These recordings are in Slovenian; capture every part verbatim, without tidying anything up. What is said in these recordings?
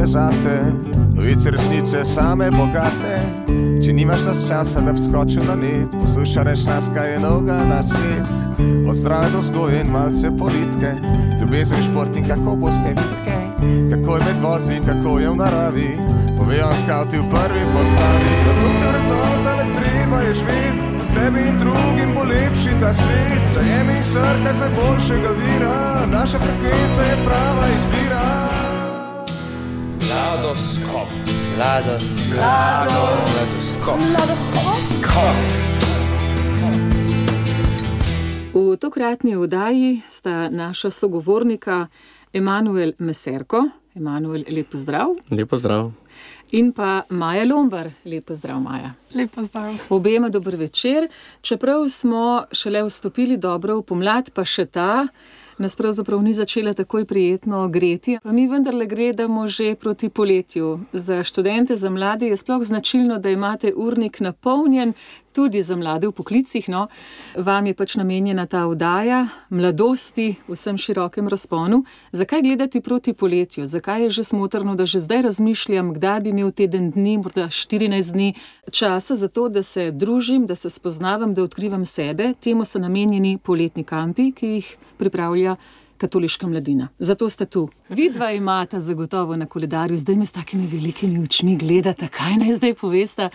je zate, novice resnice same bogate. Če nimaš nas časa, da bi skočil na net, posluša reč nas, kaj je novega na svet. Od zdrave do vzgoje in malce politike, ljubezen, šport in kako boste vitke, kako je med vozi in kako je v naravi, povejo vam skavti v prvi postavi. Zato ste vrednota, le treba je živeti, tebi in drugim bo lepši ta svet. Zajemi in srkaj z najboljšega vira, naša frekvenca je prava izbira. Mladoskop. Mladoskop. Mladoskop. Mladoskop. V tokratni oddaji sta naša sogovornika Emanuel Meserko. Emanuel, lep pozdrav. Lep pozdrav. In pa Maja Lombar. Lep pozdrav, Maja. Lep pozdrav. Obema dober večer. Čeprav smo šele vstopili dobro v pomlad, pa še ta nas pravzaprav ni začela takoj prijetno greti, pa mi vendarle gledamo že proti poletju. Za študente, za mlade je sploh značilno, da imate urnik napolnjen, tudi za mlade v poklicih, no. Vam je pač namenjena ta oddaja mladosti v vsem širokem razponu. Zakaj gledati proti poletju? Zakaj je že smotrno, da že zdaj razmišljam, kdaj bi imel teden dni, morda štirinajst dni časa za to, da se družim, da se spoznavam, da odkrivam sebe? Temu so namenjeni poletni kampi, ki jih pripravlja katoliška mladina. Zato ste tu. Vidva imata zagotovo na koledarju, zdaj me s takimi velikimi očmi gledata, kaj naj zdaj povesta.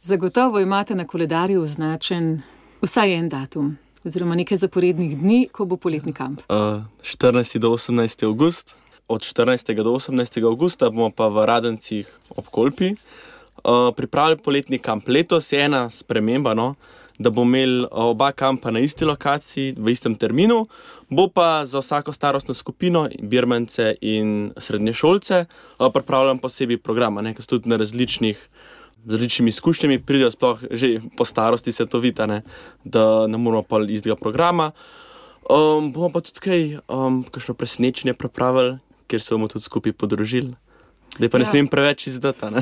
Zagotovo imate na koledarju označen vsaj en datum, oziroma nekaj zaporednih dni, ko bo poletni kamp. Uh, štirinajsti do osemnajsti avgust. Od štirinajstega do osemnajstega avgusta bomo pa v Radencih ob Kolpi uh, pripravili poletni kamp. Letos je ena sprememba, no, da bomo imeli oba kampa na isti lokaciji, v istem terminu, bo pa za vsako starostno skupino, birmance in srednješolce, uh, pripravljam posebej programa, ne, ki so tudi na različnih z različnimi izkušnjami pridejo sploh že po starosti se to vidi, ne, da ne moramo pa istega programa. Um, bomo pa tudi kaj, um, kakšno presenečenje pripravili, kjer se bomo tudi skupaj podružili. Zdaj pa ne ja. smem preveč izdati, ne.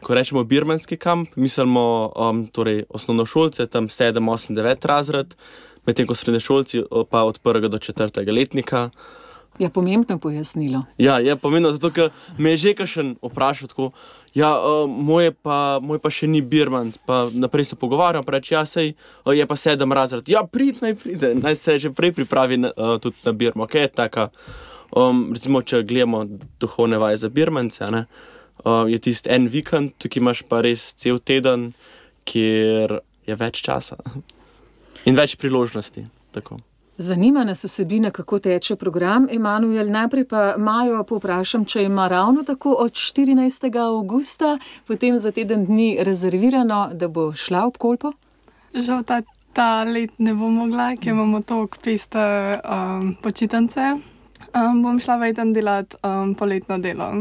Ko rečemo birmanski kamp, mislimo um, torej osnovnošolce, tam sedem, osem, devet razred, medtem ko srednješolci pa od prvega do četrtega letnika. Ja, pomembno pojasnilo. Ja, je pomembno, zato ker me je že kakšen vprašal tako, ja, uh, moj, pa, moj pa še ni birman, pa naprej se pogovarjam, pa reči, ja, sej, uh, je pa sedem razred. Ja, prid, naj pride, naj se že prej pripravi na, uh, tudi na birmo. Kaj je taka, um, recimo, če gledamo duhovne vaje za birmance, ne, uh, je tist en vikend, tukaj imaš pa res cel teden, kjer je več časa in več priložnosti, tako. Zanima nas vsebina, kako teče program. Emanuel, najprej pa Majo povprašam, če ima ravno tako od štirinajstega avgusta, potem za teden dni rezervirano, da bo šla ob Kolpo? Žal ta, ta let ne bom mogla, ker imamo toliko peste um, počitnice. Um, bom šla vajten delati um, poletno delo.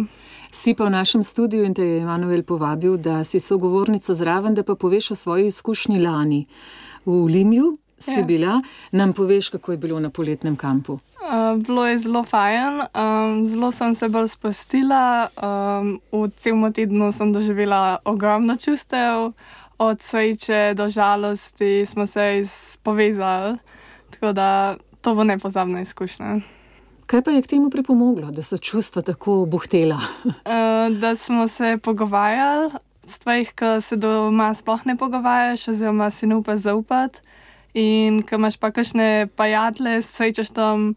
Si pa v našem studiu in te je Emanuel povabil, da si sogovornica zraven, da pa poveš o svoji izkušnji lani. V Limlju si ja. bila, nam poveš, kako je bilo na poletnem kampu. Uh, bilo je zelo fajn, um, zelo sem se bolj spustila, um, v celem tednu sem doživela ogromno čustev, od sreče do žalosti smo se povezali, tako da to bo nepozabna izkušnja. Kaj pa je k temu pripomoglo, da so čustva tako buhtela? uh, da smo se pogovarjali, stvarih, ki se doma sploh ne pogovarjaš, oziroma si ne upaš zaupati. In ko imaš pa kakšne prijatelje, srečaš tam,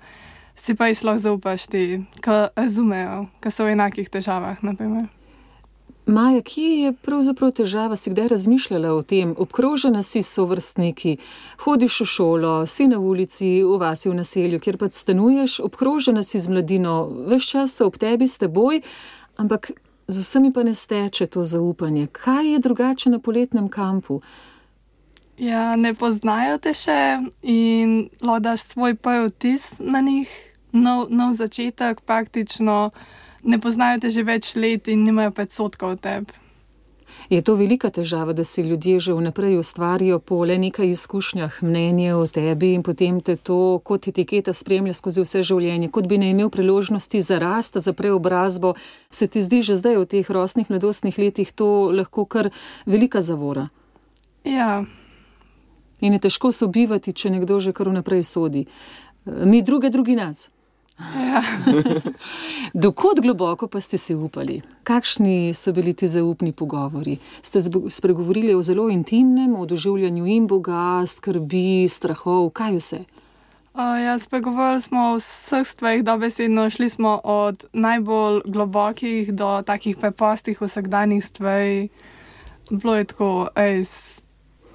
si pa jih lahko zaupaš ti, ki razumejo, ki so v enakih težavah, naprimer. Maja, kje je pravzaprav težava? Si kdaj razmišljala o tem? Obkrožena si s sovrstniki, hodiš v šolo, si na ulici, v vasi, v naselju, kjer pa stanuješ, obkrožena si z mladino, ves čas so ob tebi, s teboj, ampak z vsemi pa ne steče to zaupanje. Kaj je drugače na poletnem kampu? Ja, ne poznajo te še in lahko daš svoj prvi vtis na njih, nov, nov začetek, praktično ne poznajo te že več let in nimajo predsodkov o tebi. Je to velika težava, da si ljudje že vnaprej ustvarijo po le nekaj izkušnjah mnenje o tebi in potem te to kot etiketa spremlja skozi vse življenje, kot bi ne imel priložnosti za rast, za preobrazbo. Se ti zdi že zdaj v teh rosnih mladostnih letih to lahko kar velika zavora? Ja. In je težko sobivati, če nekdo že kar vnaprej sodi. Mi druge, drugi nas. Ja. Dokod globoko pa ste si upali? Kakšni so bili ti zaupni pogovori? Ste spregovorili o zelo intimnem, o doživljanju in Boga, skrbi, strahov, kaj vse? Uh, ja, spregovorili smo o vseh stvarih dobesedno, šli smo od najbolj globokih do takih preprostih vsakdanjih stvari. Bilo je tako, ej,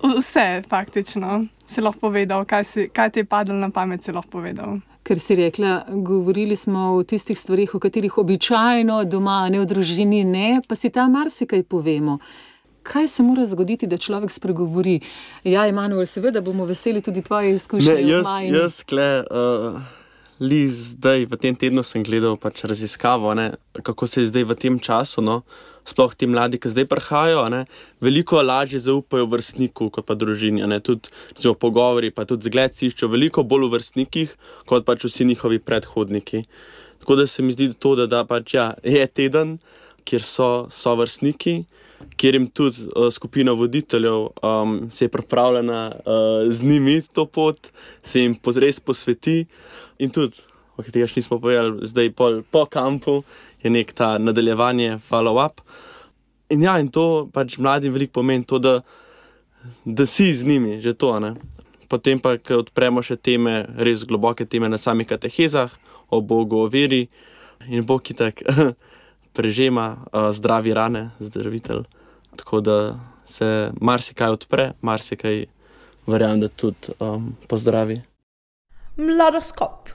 vse faktično si lahko povedal, kaj, si, kaj ti je padlo na pamet, si lahko povedal. Ker si rekla, govorili smo o tistih stvarih, o katerih običajno doma, ne v družini, ne, pa si tam marsikaj povemo. Kaj se mora zgoditi, da človek spregovori? Ja, Emanuel, seveda bomo veseli tudi tvoje izkušnje. Ne, jaz, jaz kle, uh, li zdaj v tem tednu sem gledal pač raziskavo, ne, kako se je zdaj v tem času, no, sploh ti mladi, ki zdaj prihajajo, ne, veliko lažje zaupajo vrstniku kot pa družini, ne, tudi recimo, pogovori, pa tudi zgled si iščejo veliko bolj v vrstnikih, kot pač vsi njihovi predhodniki. Tako da se mi zdi to, da, da pač ja, je teden, kjer so, so vrstniki, kjer jim tudi uh, skupina voditeljev um, se je pripravljena uh, z njimi to pot, se jim res posveti in tudi, o katerega še nismo povedali, zdaj pol, po kampu je nek ta nadaljevanje, follow-up. In ja, in to pač mladim veliko pomeni to, da, da si z njimi, že to, ne. Potem pa, ko odpremo še teme, res globoke teme na samih katehezah, o Bogu, o veri, in Bog itak prežema uh, zdravi rane, zdravitelj. Tako da se marsikaj odpre, marsikaj verjamem, da tudi um, pozdravi. Mladoskop.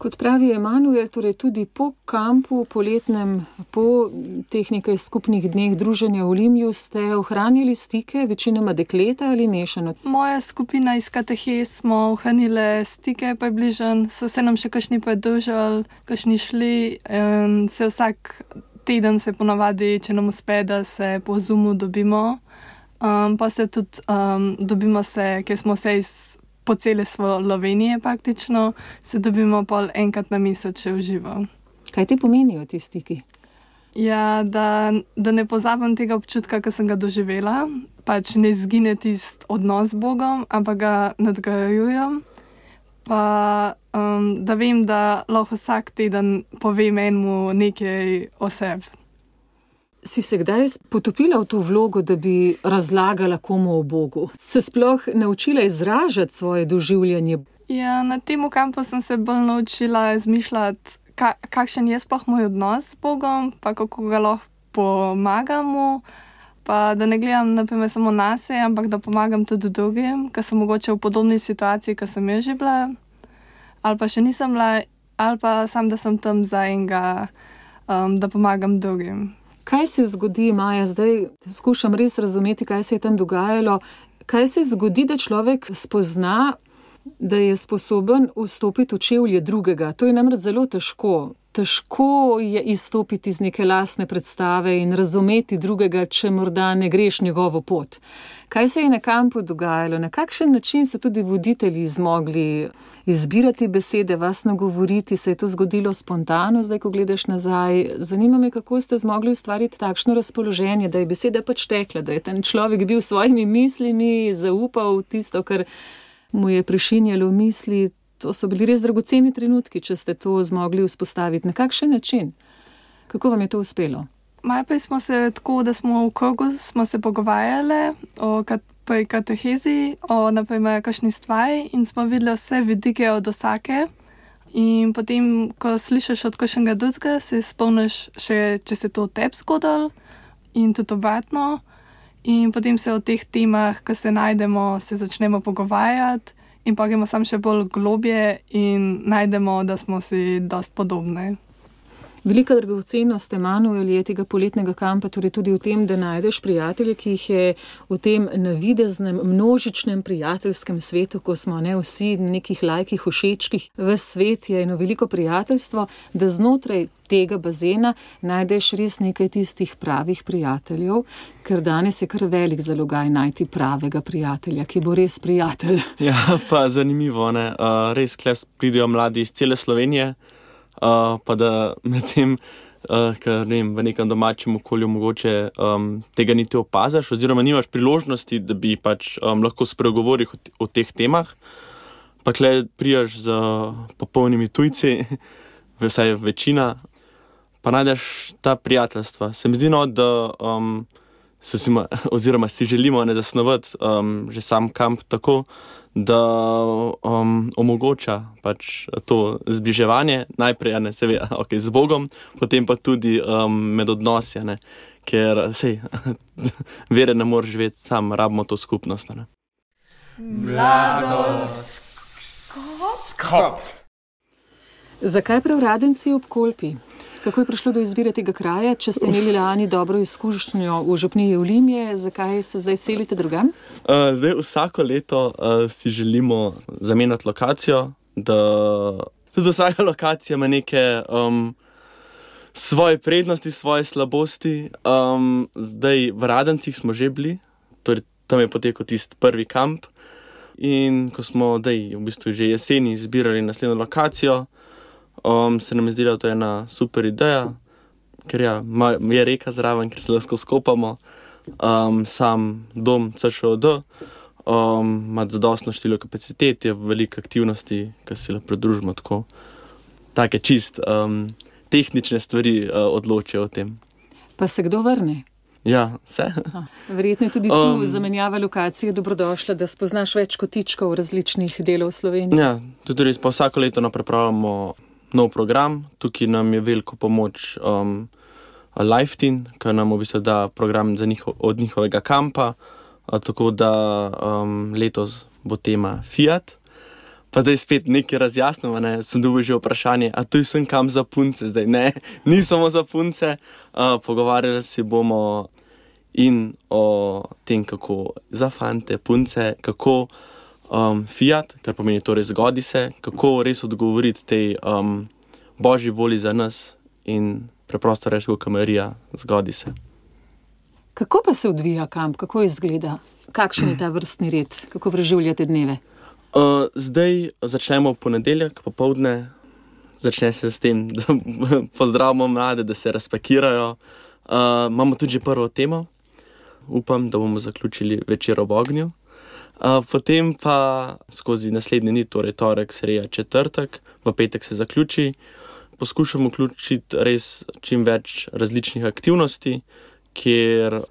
Kot pravi Emanuel, torej tudi po kampu, poletnem, po teh nekaj skupnih dneh druženja v Limju ste ohranjali stike, večinoma dekleta ali mešano? Moja skupina iz katehez smo ohranile stike približno, so se nam še kakšni pridružili, kakšni šli, in se vsak teden se ponavadi, če nam uspe, da se po Zoomu dobimo. Um, pa se tudi um, dobimo se, ker smo se iz po cele Slovenije praktično, se dobimo pol enkrat na mesec še v živo. Kaj ti pomenijo ti stiki? Ja, da, da ne pozabim tega občutka, ki sem ga doživela, pač ne izgine tisti odnos z Bogom, ampak ga nadgrajujem. Pa um, da vem, da lahko vsak teden povem enemu nekaj o sebi. Si se kdaj potopila v to vlogo, da bi razlagala komu o Bogu? Se sploh naučila izražati svoje doživljanje? Ja, na tem kampu sem se bolj naučila izmišljati, ka, kakšen je sploh moj odnos z Bogom, pa kako ga lahko pomagam mu, pa da ne gledam naprimer samo nase, ampak da pomagam tudi drugim, ki so mogoče v podobni situaciji, ki sem jaz že bila, ali pa še nisem bila, ali pa sam, da sem tam za enega, um, da pomagam drugim. Kaj se zgodi, Maja, zdaj skušam res razumeti, kaj se je tam dogajalo, kaj se zgodi, da človek spozna, da je sposoben vstopiti v čevlje drugega. To je namreč zelo težko. Težko je izstopiti iz neke lastne predstave in razumeti drugega, če morda ne greš njegovo pot. Kaj se je na kampu dogajalo? Na kakšen način so tudi voditelji zmogli izbirati besede, vas nagovoriti? Se je to zgodilo spontano, zdaj, ko gledaš nazaj? Zanima me, kako ste zmogli ustvariti takšno razpoloženje, da je beseda pač tekla, da je ten človek bil s svojimi mislimi, zaupal tisto, kar mu je prešinjalo v misli. To so bili res dragoceni trenutki, če ste to zmogli vzpostaviti. Na kakšen način? Kako vam je to uspelo? Najprej smo se tako, da smo v krogu smo se pogovarjali o kat, pri katehezi, o naprimer kakšni stvari in smo videli vse vidike od vsake. In potem, ko slišiš od kakšnega drugega, se spomniš še, če se to tebi zgodilo in tudi obratno. In potem se o teh temah, ko se najdemo, se začnemo pogovarjati. In pa gremo sam še bolj globje in najdemo, da smo si dosti podobni. Velika dragocenost, Emanuel, je tega poletnega kampa torej tudi v tem, da najdeš prijatelje, ki jih je v tem navideznem, množičnem prijateljskem svetu, ko smo ne vsi nekih lajkih, všečkih, ves svet je eno veliko prijateljstvo, da znotraj tega bazena najdeš res nekaj tistih pravih prijateljev, ker danes je kar velik zalogaj najti pravega prijatelja, ki bo res prijatelj. Ja, pa zanimivo, ne? Uh, res kles pridejo mladi iz cele Slovenije, uh, pa da med tem, uh, ker ne vem, v nekem domačem okolju mogoče um, tega niti opazaš, oziroma nimaš priložnosti, da bi pač um, lahko spregovoril o, o teh temah, pa kle prijaš z popolnimi tujci, vsaj večina, pa najdeš ta prijateljstva. Se mi zdi, no, da um, so si, oziroma si želimo ne zasnovati um, že sam kamp tako, da um, omogoča pač to zbliževanje, najprej ne, se ve, okay, z Bogom, potem pa tudi um, med odnosi, ne, ker sej, vere ne moreš živeti sam, rabimo to skupnost. Ne. Mladoskop. Zakaj prav Radenci ob Kolpi? Kako je prišlo do izbire tega kraja? Če ste imeli lani dobro izkušnjo v župniji Vlimje, zakaj se zdaj selite drugam? Uh, zdaj vsako leto uh, si želimo zamenjati lokacijo, da tudi vsaka lokacija ima neke um, svoje prednosti, svoje slabosti. Um, zdaj v Radencih smo že bili, torej tam je potekal tisti prvi kamp in ko smo dej, v bistvu že jeseni izbirali naslednjo lokacijo, Um, se nam je zdela, da to je ena super ideja, ker ja, je reka zraven, ker se lahko skopamo. Um, sam dom C Š O D um, ima zadostno število kapacitet, je veliko aktivnosti, ki se lahko pridružimo tako. Take čist um, tehnične stvari uh, odločijo o tem. Pa se kdo vrne? Ja, vse. Verjetno je tudi tu Um, zamenjava lokacije dobrodošla, da spoznaš več kotičkov različnih delov Slovenije. Ja, tudi res, pa vsako leto pripravljamo nov program. Tukaj nam je veliko pomoč um, Lifetin, ki nam v bistvu da program za njiho, od njihovega kampa, a, tako da um, letos bo tema Fiat. Pa zdaj spet nekaj razjasnimo, ne, sem dobil že vprašanje, a tu sem kam za punce zdaj? Ne, ni samo za punce, uh, pogovarjali si bomo in o tem, kako za fante, punce, kako Um, Fiat, kar pomeni torej zgodi se, kako res odgovoriti tej um, božji voli za nas in preprosto reči, kot Marija, zgodi se. Kako pa se odvija kamp? Kako izgleda? Kakšen je ta vrstni red? Kako preživljate dneve? Uh, zdaj začnemo v ponedeljek, popoldne. Začne se s tem, da pozdravimo mlade, da se razpakirajo. Uh, imamo tudi že prvo temo. Upam, da bomo zaključili večer ob ognju. Uh, potem pa skozi naslednji dni, torej torek, sreda, četrtek, v petek se zaključi. Poskušamo vključiti res čim več različnih aktivnosti, kjer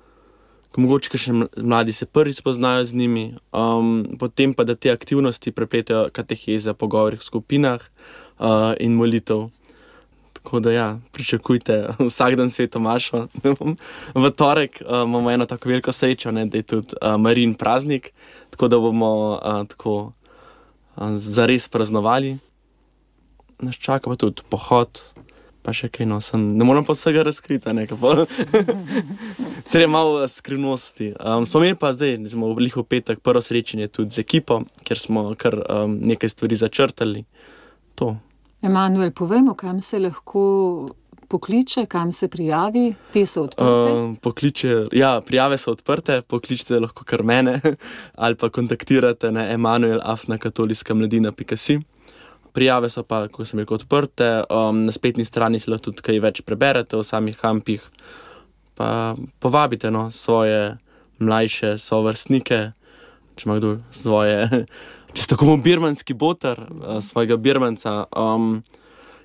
mogoče še mladi se prvi spoznajo z njimi, um, potem pa da te aktivnosti prepletajo kateheze, pogovori v skupinah uh, in molitev. Tako da ja, pričakujte vsak dan sveto mašo. V torek uh, imamo eno tako veliko srečo, ne, da je tudi uh, Marijin praznik, tako da bomo uh, tako uh, zares praznovali. Nas čaka pa tudi pohod, pa še kaj, no, sem, ne moram pa vsega razkriti, ne, kako. Treba malo skrivnosti. Um, smo imeli pa zdaj, smo v lihu petek prvo srečanje tudi z ekipo, ker smo kar um, nekaj stvari začrtali. To. Emanuel, povemo, kam se lahko pokliče, kam se prijavi, te so odprte? Uh, pokliče, ja, prijave so odprte, pokličite lahko kar mene ali pa kontaktirate na emanuel afna katoliska mladina pika si. Prijave so pa, ko sem rekel, odprte, um, na spletni strani si lahko tudi kaj več preberete o samih kampih, pa povabite no, svoje mlajše sovrstnike, če ima kdo svoje... Če ste tako birmanski boter, svojega birmanca, um,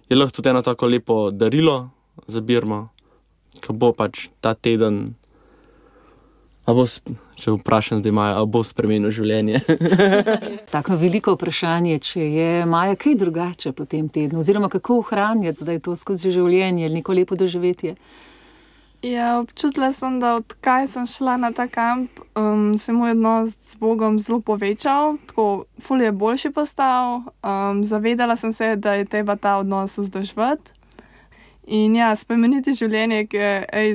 je lahko tudi eno tako lepo darilo za Birmo, ko bo pač ta teden, a bo, če vprašam, da imajo, a bo spremenil življenje. Tako veliko vprašanje, če je Maja kaj drugače po tem tednu, oziroma kako ohranjati zdaj to skozi življenje, neko lepo doživetje? Ja, občutila sem, da odkaj sem šla na ta kamp, um, se moj odnos z Bogom zelo povečal, tako ful je boljši postal. Um, zavedala sem se, da je treba ta odnos vzdrževati. In ja, spremeniti življenje, ki ej,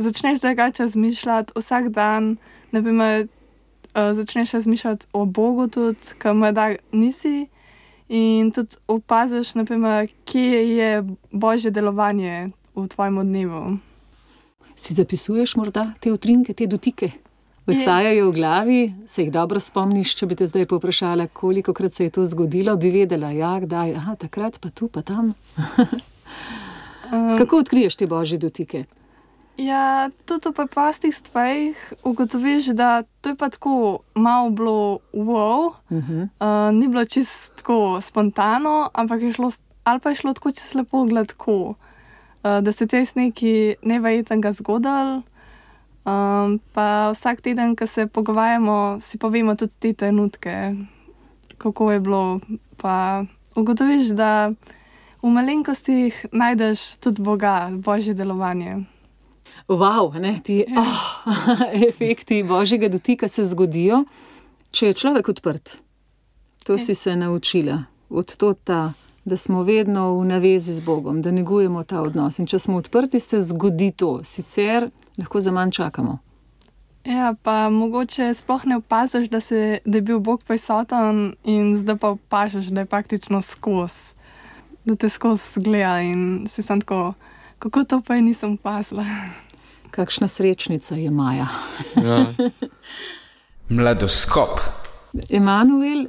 začneš drugače razmišljati vsak dan, ne vem, uh, začneš razmišljati o Bogu tudi, ki mu da nisi. In tudi opaziš, ne vem, kje je božje delovanje v tvojem dnevu. Si zapisuješ morda te utrinke, te dotike? Ostajajo v glavi, se jih dobro spomniš, če bi te zdaj povprašala, kolikokrat se je to zgodilo, bi vedela, ja, kdaj, aha, takrat, pa tu, pa tam. Kako odkriješ te božje dotike? Ja, tudi v preprostih stvarih ugotoviš, da to je pa tako malo bilo wow, uh-huh. uh, ni bilo čisto tako spontano, ampak je šlo ali pa je šlo tako čez lepo gladko, uh, da se te sneki neverjetnega zgodili. Um, pa vsak teden, ko se pogovarjamo, si povemo tudi te trenutke, kako je bilo. Pa ugotoviš, da v malenkostih najdeš tudi Boga, Božje delovanje. Wow, ne, ti Ja. oh, efekti Božjega dotika se zgodijo, če je človek odprt. To si se naučila. Od tota, da smo vedno v navezi z Bogom, da negujemo ta odnos. In če smo odprti, se zgodi to. Sicer lahko za manj čakamo. Ja, pa mogoče sploh ne opaziš, da, se, da je bil Bog prisoten in zdaj pa opaziš, da je praktično skozi, da te skozi gleda in si sam tako, kako to pa je nisem opazila. Kakšna srečnica je Maja. Ja. Mladoskop. Emanuel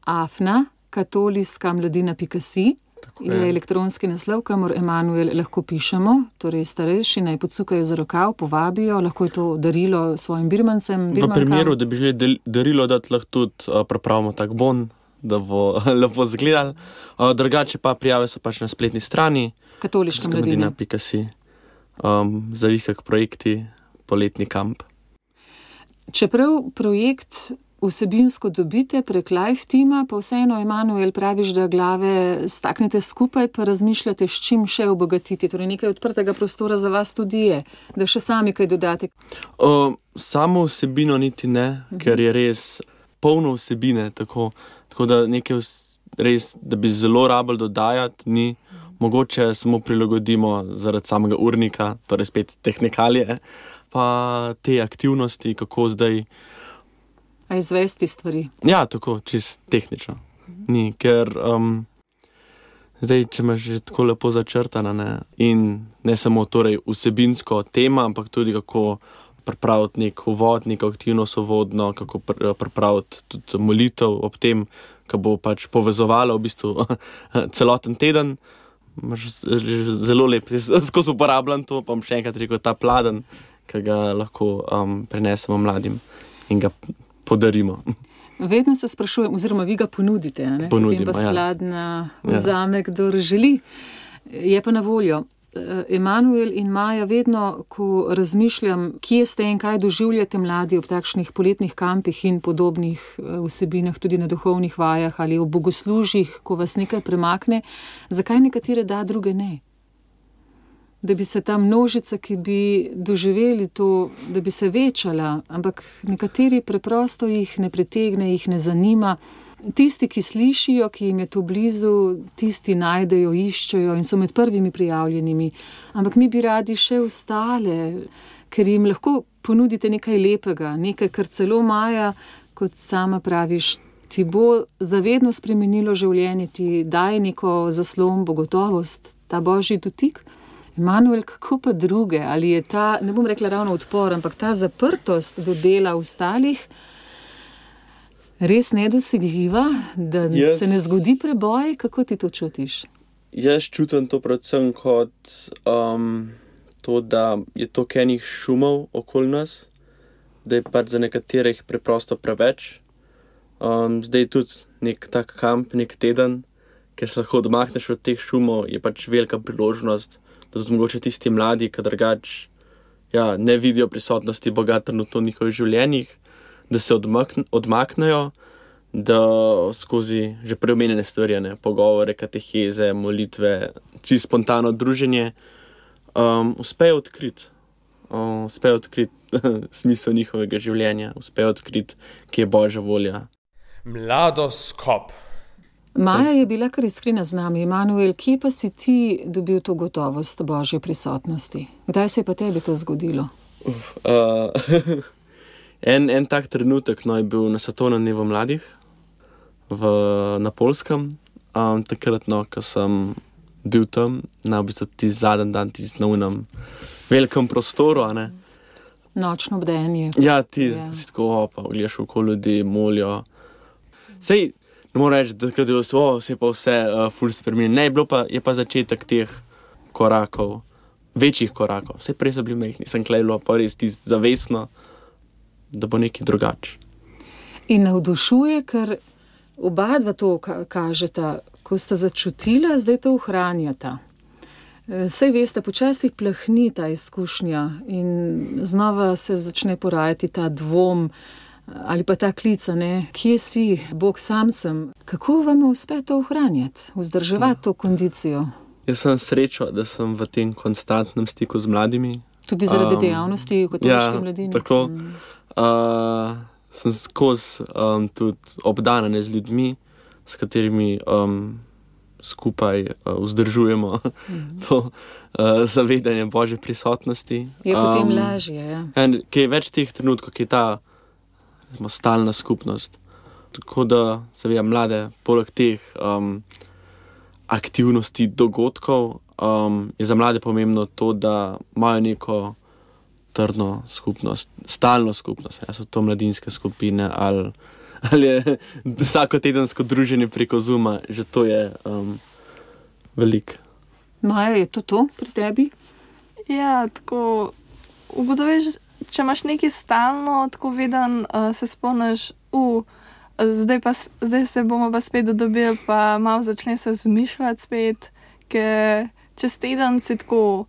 Afna, katoliska mladina pika si, je je. elektronski naslov, kamor Emanuel lahko pišemo, torej starejši naj podsukajo za rokav, povabijo, lahko je to darilo svojim birmancem. V birmankam. primeru, da bi želeli del- darilo dati, lahko tudi uh, pripravimo tak bon, da bo lepo zgledal. Uh, drugače pa prijave so pač na spletni strani Katoliška mladina. mladina pika si. Um, Zavihak projekti, poletni kamp. Čeprav projekt vsebinsko dobite prek live tima, pa vseeno, Emanuel, praviš, da glave staknete skupaj, pa razmišljate, s čim še obogatiti. Torej nekaj odprtega prostora za vas tudi je, da še sami kaj dodate. Uh, samo vsebino niti ne, ker je res polno vsebine, tako, tako da nekaj vs- res, da bi zelo rabili dodajati, ni. Mogoče samo prilagodimo zaradi samega urnika, torej spet tehnikalije, pa te aktivnosti, kako zdaj. A izvesti stvari. Ja, tako, čist tehnično. Ni, ker um, zdaj, če imaš že tako lepo začrtana, ne, in ne samo torej vsebinsko tema, ampak tudi kako pripraviti nek uvod, neko aktivnost uvodno, kako pr- pripraviti tudi molitev ob tem, ko bo pač povezovalo v bistvu celoten teden. Imaš z- z- zelo lep, jaz skozi uporabljam to, pa bom še enkrat rekel, ta pladen, ki ga lahko um, prinesemo mladim in ga podarimo. Vedno se sprašujem, oziroma vi ga ponudite, a ne? Ponudimo, Potem pa ja. skladna Ja. vzame, kdor želi. Je pa na voljo. Eh, Emanuel in Maja, vedno, ko razmišljam, kje ste in kaj doživljate mladi ob takšnih poletnih kampih in podobnih eh, vsebinah, tudi na duhovnih vajah ali v bogoslužjih, ko vas nekaj premakne, zakaj nekatere da, druge ne? Da bi se ta množica, ki bi doživeli to, da bi se večala, ampak nekateri preprosto jih ne pritegne, jih ne zanima. Tisti, ki slišijo, ki jim je to blizu, tisti najdejo, iščejo in so med prvimi prijavljenimi. Ampak mi bi radi še ostale, ker jim lahko ponudite nekaj lepega, nekaj, kar celo Maja, kot sama praviš, ti bo zavedno spremenilo življenje, ti daje neko zaslombo, gotovost, ta božji dotik. Emanuel, kako pa druge? Ali je ta, ne bom rekla ravno odpor, ampak ta zaprtost do dela ostalih res nedosegljiva, da Jaz- se ne zgodi preboj? Kako ti to čutiš? Jaz čutim to predvsem kot um, to, da je toliko enih šumov okoli nas, da je pač za nekaterih preprosto preveč. Um, zdaj tudi nek tak kamp, nek teden, ker se lahko odmakneš od teh šumov, je pač velika priložnost, da tudi mogoče tisti mladi, ki drugač ja, ne vidijo prisotnosti Boga trenutno v njihovih življenjih, da se odmakn- odmaknejo, da skozi že preomenjene stvari, ne, pogovore, kateheze, molitve, čisto spontano druženje, um, uspejo odkriti, um, uspejo odkriti smisel njihovega življenja, uspejo odkriti, kje je Božja volja. Mladoskop. Maja je bila kar iskrena z nami. Emanuel, kje pa si ti dobil to gotovost Božje prisotnosti? Kdaj se je pa tebi to zgodilo? Uh, en, en tak trenutek no, je bil na svetovnem dnevu mladih v, na Poljskem. Um, takrat, no, ko sem bil tam, na v bistvu ti zadnji dan, ti na unem velikem prostoru. A ne. Nočno bdenje. Ja, ti Ja. ja. si tako opa, gledaš okoli ljudi, molijo. Sej, ne morem reči, da takrat je bilo, oh, se je pa vse uh, ful spremenilo. Ne, je bilo pa, je pa začetek teh korakov, večjih korakov. Vse prej so bili mehni, sem klejlo pa res ti zavestno, da bo nekaj drugače. In navdušuje, ker Oba dva to ka- kažeta, ko sta začutila, zdaj to ohranjata. Sej veste, počasi plahni ta izkušnja in znova se začne porajati ta dvom ali pa ta klica, ne, kje si, Bog, sam sem. Kako vam uspe to ohranjati, vzdrževati to kondicijo? Jaz sem srečo, da sem v tem konstantnem stiku z mladimi. Tudi zaradi Um, dejavnosti v katoliški ja, mladini? tako. Mm. Uh, sem skozi um, tudi obdanen z ljudmi, s katerimi um, skupaj uh, vzdržujemo mm-hmm. to uh, zavedanje Božje prisotnosti. Je potem Um, lažje, ja. En, ki je več teh trenutkov, ki je ta recimo, stalna skupnost. Tako da se veja mlade, poleg teh um, aktivnosti, dogodkov, um, je za mlade pomembno to, da imajo neko trdno skupnost, stalno skupnost. Ja, so to mladinske skupine ali, ali je vsako tedensko druženje preko Zooma, že to je um, veliko. Maja, je to to pri tebi? Ja, tako ugotoviš, če imaš nekaj stalno, tako veden, uh, se spomniš, uh, zdaj, pa, zdaj se bomo pa spet dobili, pa malo začne se zmišljati spet, ker čez teden si tako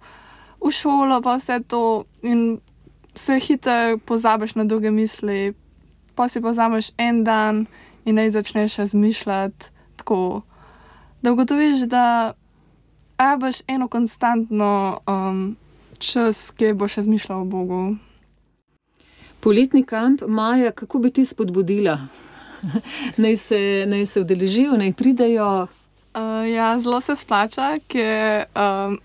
v šolo, pa vse to in se hitro pozabiš na druge misli, pa si pozameš en dan in naj začneš razmišljati tako, da ugotoviš, da a boš eno konstantno um, čas, ki boš razmišljal o Bogu. Poletni kamp, Maja, kako bi ti spodbudila? naj, se, naj se udeležijo, naj pridejo? Uh, ja, zelo se splača, ker um,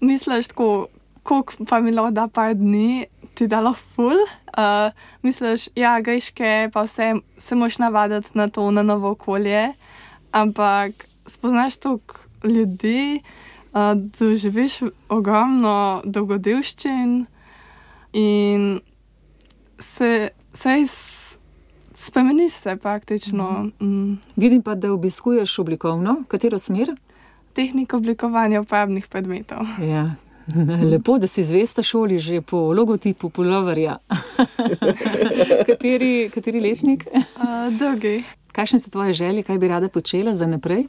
misliš tako, koliko pa mi lahko da par dni, ti da lahko ful. Uh, misliš, ja, greške, pa vse se moš navaditi na to, na novo okolje, ampak spoznaš toliko ljudi, uh, doživiš ogromno dogodivščin in se, sej spremeni se praktično. Mm. Mm. Vidim pa, da obiskuješ oblikovno, katero smer? Tehniko oblikovanja uporabnih predmetov. Ja. Lepo, da si zvesta šoli že po logotipu puloverja. kateri, kateri letnik? Uh, drugi. Kakšne so tvoje želje, kaj bi rada počela za naprej?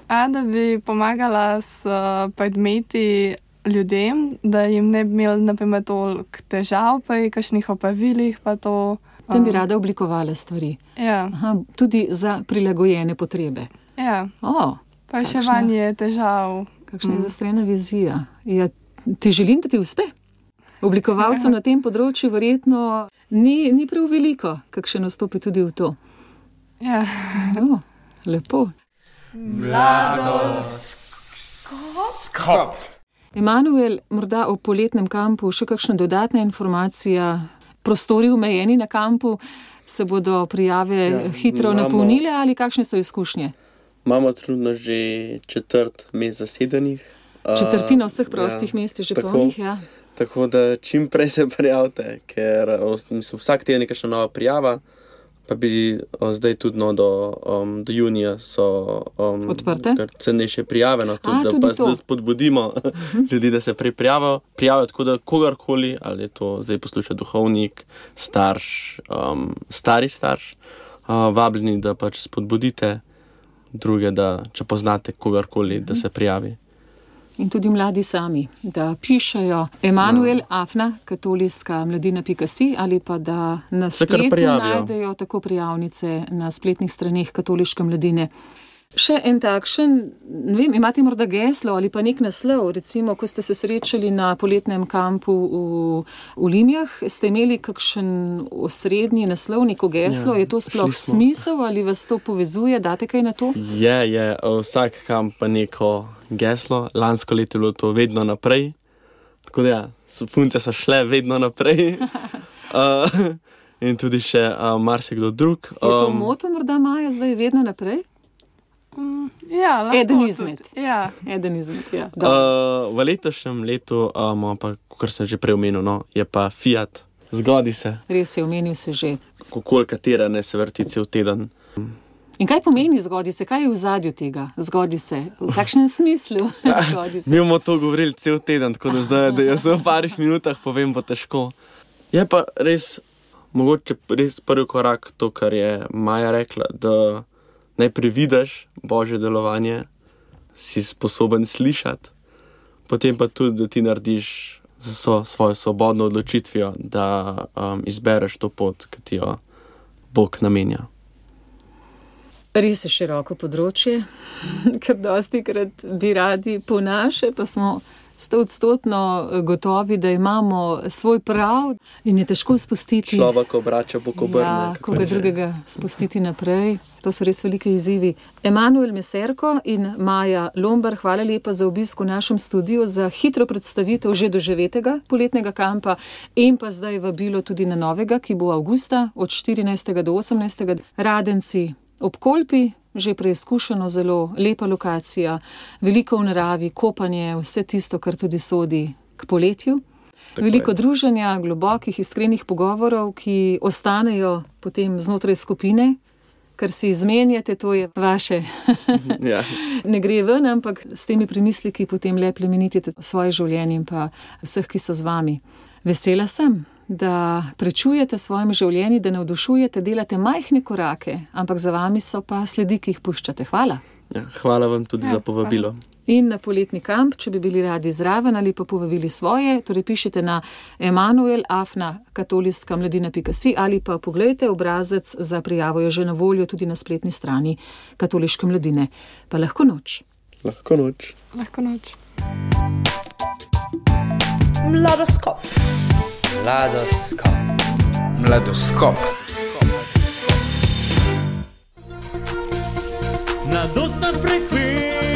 A, da bi pomagala s uh, predmeti ljudem, da jim ne bi imeli naprimer toliko težav pri kakšnih opravilih, pa to. Tam bi rada oblikovala stvari. Ja. Aha, tudi za prilagojene potrebe. Ja. O, pa še vanje težav. Kakšna je zastrena vizija. Ja, ti želim, da ti uspe. Oblikovalcev na tem področju verjetno ni, ni prav veliko, kakšen nastopi tudi v to. Ja. O, lepo. Mladoskop. Emanuel, morda o poletnem kampu še kakšna dodatna informacija? Prostori omejeni na kampu, se bodo prijave ja, hitro imamo, napolnile ali kakšne so izkušnje? Imamo trenutno že četrt mest zasedenih. Četrtina vseh prostih ja, mest je že tako, polnih, ja. Tako da čim prej se prijavite, ker mislim, vsak teden je kakšna nova prijava, pa bi o, zdaj tudi no, do, um, do junija so um, odprte. Cenejše prijave, no, tudi, A, da, tudi pa, da spodbudimo uh-huh. ljudi, da se prej prijavijo, prijavijo, tako da kogarkoli, ali je to zdaj posluša duhovnik, starš, um, stari starš, uh, vabljeni, da pač spodbudite druge, da če poznate kogarkoli, uh-huh. da se prijavi. In tudi mladi sami, da pišejo Emanuel no. Afna, katoliška mladina pika si, ali pa da na spletu najdejo tako prijavnice na spletnih straneh katoliške mladine. Še en takšen, ne vem, imate morda geslo ali pa nek naslov, recimo, ko ste se srečali na poletnem kampu v, v Limjah, ste imeli kakšen osrednji naslov, neko geslo, ja, je to sploh smisel ali vas to povezuje, date kaj na to? Je, je, vsak kamp pa neko geslo, lansko leto je bilo to vedno naprej, tako da ja, punce so šle vedno naprej uh, in tudi še uh, marsikdo drug. Um, je to um, moto morda Maja zdaj vedno naprej? Mm, ja, lahko. Eden izmed. Ja. Eden izmed, ja. Uh, v letošnjem letu, um, pa, kar sem že prej omenil, no, je pa Fiat. Zgodi se. Res je, omenil se že. Kokol katera ne se vrti cel teden. In kaj pomeni zgodi se? Kaj je v zadju tega? Zgodi se. V kakšnem smislu? Zgodi se. Mi bomo to govorili cel teden, tako da zdaj, da jaz v parih minutah povem, bo težko. Je pa res, mogoče res prvi korak to, kar je Maja rekla, da najprej vidiš Božje delovanje, si sposoben slišati, potem pa tudi, da ti narediš za so, svojo svobodno odločitvijo, da um, izbereš to pot, ki ti jo Bog namenja. Res je široko področje, ker dosti krat bi radi po naše, pa smo stoodstotno gotovi, da imamo svoj prav in je težko spustiti. Človek obrača Bog obrne. Ja, koga drugega spustiti naprej. To so res velike izzivi. Emanuel Meserko in Maja Lombar, hvala lepa za obisk v našem studiu, za hitro predstavitev že doživetega poletnega kampa in pa zdaj vabilo tudi na novega, ki bo avgusta od štirinajstega do osemnajstega Radenci ob Kolpi. Že preizkušeno, zelo lepa lokacija, veliko v naravi, kopanje, vse tisto, kar tudi sodi k poletju. Tako veliko je. Druženja, globokih, iskrenih pogovorov, ki ostanejo potem znotraj skupine, kar si izmenjate, to je vaše. Ja. Ne gre ven, ampak s temi premisliki potem le plemenitite svoje življenje in pa vseh, ki so z vami. Vesela sem, da prečujete svojim življenji, da navdušujete, delate majhne korake, ampak za vami so pa sledi, ki jih puščate. Hvala. Ja, hvala vam tudi ja, za povabilo. Hvala. In na poletni kamp, če bi bili radi zraven ali pa povabili svoje, torej pišite na emanuel afna katoliška mladina pika si ali pa pogledajte obrazec za prijavo, je že na voljo tudi na spletni strani Katoliške mladine. Pa lahko noč. Lahko noč. Lahko noč. Mladoskop. Mladoskop. Mladoskop. Mladostna frekvenca.